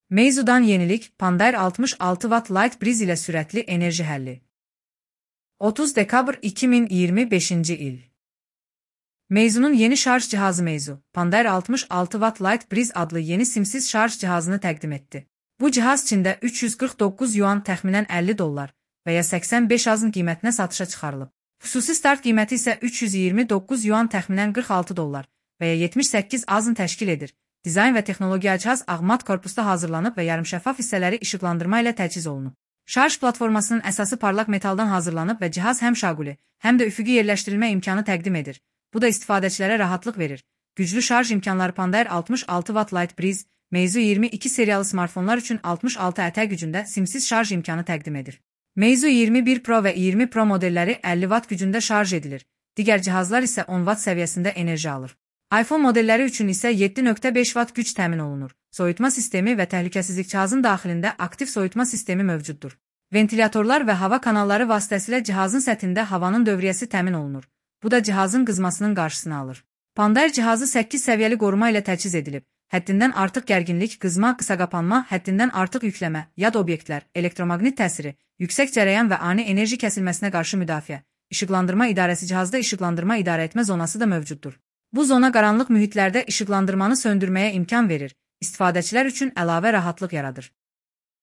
Meizu'dan yenilik, Pandair 66 Watt Light Breeze ile sürətli enerji həlli. 30 dekabr 2025 il. Meizu'nun yeni şarj cihazı Meizu, Pandair 66 Watt Light Breeze adlı yeni simsiz şarj cihazını təqdim etdi. Bu cihaz Çində 349 yuan təxminən 50 dollar və ya 85 azın qiymətinə satışa çıxarılıb. Xüsusi start qiyməti isə 329 yuan təxminən 46 dollar və ya 78 azın təşkil edir. Dizayn və texnologiya cihaz ağ-mat korpusda hazırlanıb və yarımşəffaf hissələri işıqlandırma ilə təchiz olunub. Şarj platformasının əsası parlaq metaldan hazırlanıb və cihaz həm şaquli, həm də üfüqi yerləşdirilmə imkanı təqdim edir. Bu da istifadəçilərə rahatlıq verir. Güclü şarj imkanları Pandair 66 Watt Light Breeze, Meizu 22 seriyalı smartfonlar üçün 66 ətə gücündə simsiz şarj imkanı təqdim edir. Meizu 21 Pro və 20 Pro modelləri 50 Watt gücündə şarj edilir. Digər cihazlar isə 10 Watt səviyyəsində enerji alır. iPhone modelləri üçün isə 7.5 Watt güc təmin olunur. Soyutma sistemi və təhlükəsizlik cihazın daxilində aktiv soyutma sistemi mövcuddur. Ventilatorlar və hava kanalları vasitəsilə cihazın səthində havanın dövriyyəsi təmin olunur. Bu da cihazın qızmasının qarşısını alır. Pandair cihazı 8 səviyyəli qoruma ilə təchiz edilib. Həddindən artıq gərginlik, qızma, qısaqapanma, həddindən artıq yükləmə, yad obyektlər, elektromaqnit təsiri, yüksək cərəyan və ani enerji kəsilməsinə qarşı müdafiə. İşıqlandırma idarəsi cihazda işıqlandırma idarəetmə zonası da mövcuddur. Bu zona qaranlıq mühitlərdə işıqlandırmanı söndürməyə imkan verir, istifadəçilər üçün əlavə rahatlıq yaradır.